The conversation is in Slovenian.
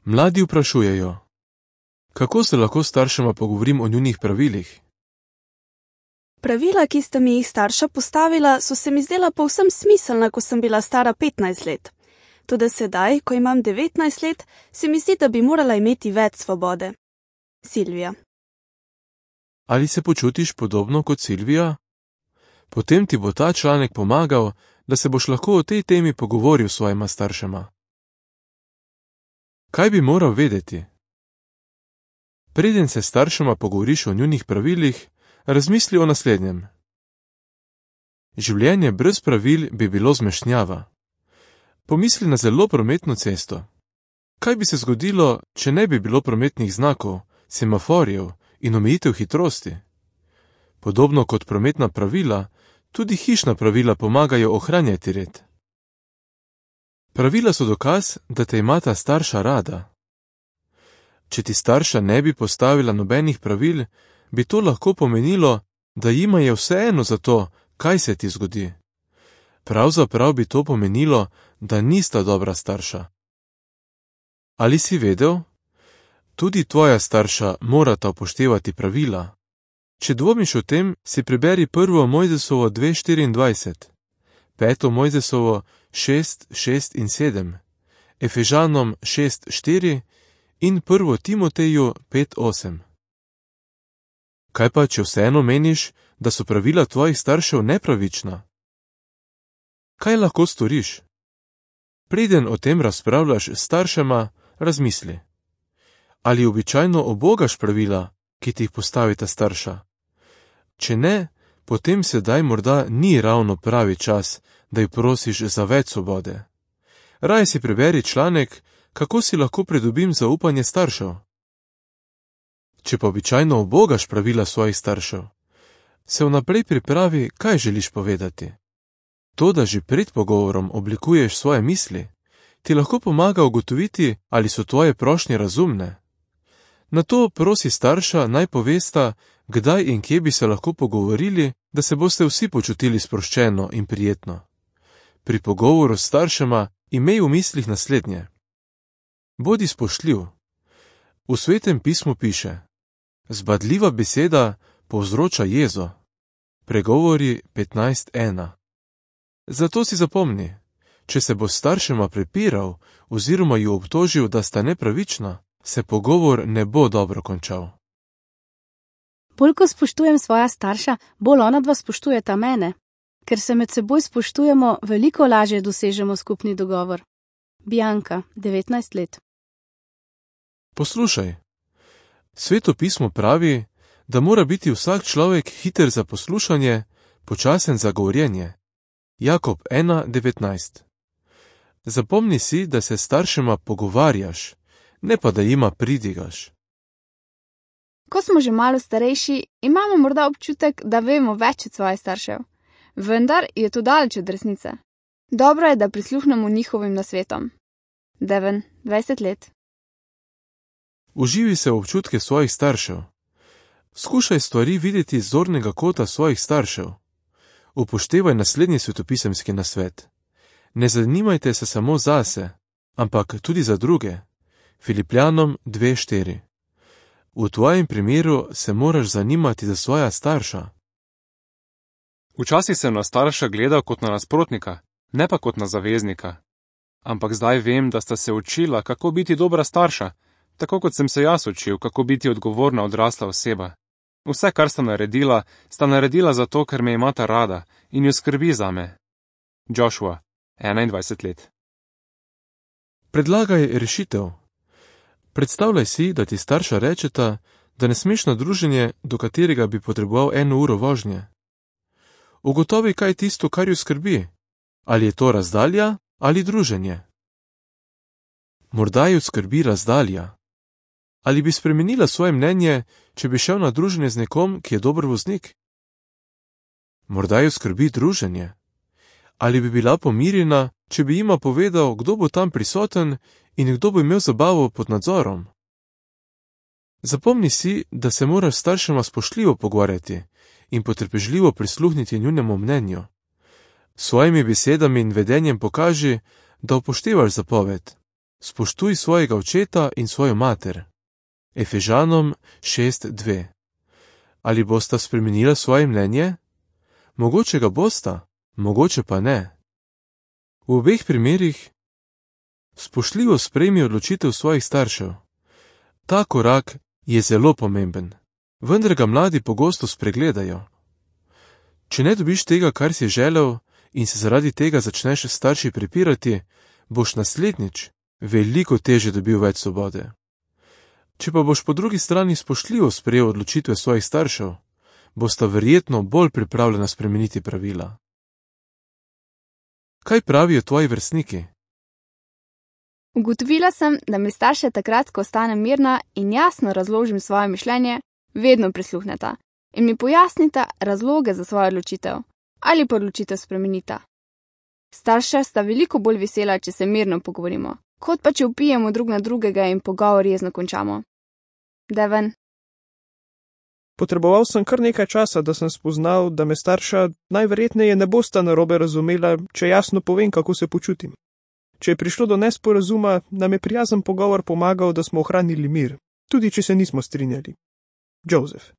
Mladi vprašujejo: kako se lahko s staršema pogovorim o njunih pravilih? Pravila, ki sta mi jih starša postavila, so se mi zdela povsem smiselna, ko sem bila stara 15 let. Toda sedaj, ko imam 19 let, se mi zdi, da bi morala imeti več svobode. Silvija. Ali se počutiš podobno kot Silvija? Potem ti bo ta članek pomagal, da se boš lahko o tej temi pogovoril s svojima staršema. Kaj bi moral vedeti? Preden se s staršema pogovoriš o njunih pravilih, razmisli o naslednjem. Življenje brez pravil bi bilo zmešnjava. Pomisli na zelo prometno cesto. Kaj bi se zgodilo, če ne bi bilo prometnih znakov, semaforjev in omejitev hitrosti? Podobno kot prometna pravila, tudi hišna pravila pomagajo ohranjati red. Pravila so dokaz, da te imata starša rada. Če ti starša ne bi postavila nobenih pravil, bi to lahko pomenilo, da jima je vseeno za to, kaj se ti zgodi. Pravzaprav bi to pomenilo, da nista dobra starša. Ali si vedel? Tudi tvoja starša morata upoštevati pravila. Če dvomiš o tem, si preberi 1. Mojzesovo 2:24, 5. Mojzesovo 6:6 in 7, Efežanom 6:4 in 1. Timoteju 5:8. Kaj pa, če vseeno meniš, da so pravila tvojih staršev nepravična? Kaj lahko storiš? Preden o tem razpravljaš s staršema, razmisli. Ali običajno ubogaš pravila, ki ti jih postavita starša? Če ne, potem sedaj morda ni ravno pravi čas, da ji prosiš za več svobode. Raje si preberi članek, kako si lahko pridobim zaupanje staršev. Če pa običajno ubogaš pravila svojih staršev, se vnaprej pripravi, kaj želiš povedati. To, da že pred pogovorom oblikuješ svoje misli, ti lahko pomaga ugotoviti, ali so tvoje prošnje razumne. Nato prosi starša, naj povesta, kdaj in kje bi se lahko pogovorili, da se boste vsi počutili sproščeno in prijetno. Pri pogovoru s staršema imej v mislih naslednje. Bodi spoštljiv. V Svetem pismu piše: zbadljiva beseda povzroča jezo. Pregovori 15:1. Zato si zapomni, če se bo staršema prepiral oziroma ju obtožil, da sta nepravična, se pogovor ne bo dobro končal. Bolj ko spoštujem svoja starša, bolj onadva spoštujeta mene. Ker se med seboj spoštujemo, veliko lažje dosežemo skupni dogovor. Bianka, 19 let. Poslušaj. Sveto pismo pravi, da mora biti vsak človek hiter za poslušanje, počasen za govorjenje. Jakob 1:19. Zapomni si, da se s staršema pogovarjaš, ne pa da jima pridigaš. Ko smo že malo starejši, imamo morda občutek, da vemo več od svojih staršev. Vendar je to daleč od resnice. Dobro je, da prisluhnemo njihovim nasvetom. Devon, 20 let. Uživi se v občutke svojih staršev. Skušaj stvari videti z zornega kota svojih staršev. Upoštevaj naslednji svetopisemski nasvet. Ne zanimajte se samo zase, ampak tudi za druge. Filipljanom 2:4. V tvojem primeru se moraš zanimati za svoja starša. Včasih sem na starša gledal kot na nasprotnika, ne pa kot na zaveznika. Ampak zdaj vem, da sta se učila, kako biti dobra starša, tako kot sem se jaz učil, kako biti odgovorna odrasla oseba. Vse, kar sta naredila zato, ker me imata rada in jo skrbi zame. Joshua, 21 let. Predlagaj rešitev. Predstavljaj si, da ti starša rečeta, da ne smeš na druženje, do katerega bi potreboval 1 uro vožnje. Ugotovi, kaj je tisto, kar jo skrbi. Ali je to razdalja ali druženje? Morda jo skrbi razdalja. Ali bi spremenila svoje mnenje, če bi šel na druženje z nekom, ki je dober voznik? Morda jo skrbi druženje. Ali bi bila pomirjena, če bi jima povedal, kdo bo tam prisoten in kdo bo imel zabavo pod nadzorom? Zapomni si, da se moraš staršema spoštljivo pogovarjati in potrpežljivo prisluhniti njunemu mnenju. S svojimi besedami in vedenjem pokaži, da upoštevaš zapoved. Spoštuj svojega očeta in svojo mater. Efežanom 6:2. Ali bosta spremenila svoje mnenje? Mogoče ga bosta, mogoče pa ne. V obeh primerih spoštljivo sprejmi odločitev svojih staršev. Ta korak je zelo pomemben, vendar ga mladi pogosto spregledajo. Če ne dobiš tega, kar si želel, in se zaradi tega začneš s starši prepirati, boš naslednjič veliko teže dobil več svobode. Če pa boš po drugi strani spoštljivo sprejel odločitve svojih staršev, bosta verjetno bolj pripravljena spremeniti pravila. Kaj pravijo tvoji vrstniki? Ugotovila sem, da mi starše takrat, ko ostanem mirna in jasno razložim svoje mišljenje, vedno prisluhneta in mi pojasnita razloge za svojo odločitev ali pa odločitev spremenita. Starša sta veliko bolj vesela, če se mirno pogovorimo, kot pa če vpijemo drug na drugega in pogovor jezno končamo. Devon. Potreboval sem kar nekaj časa, da sem spoznal, da me starša najverjetneje ne bosta narobe razumela, če jasno povem, kako se počutim. Če je prišlo do nesporazuma, nam je prijazen pogovor pomagal, da smo ohranili mir, tudi če se nismo strinjali. Joseph.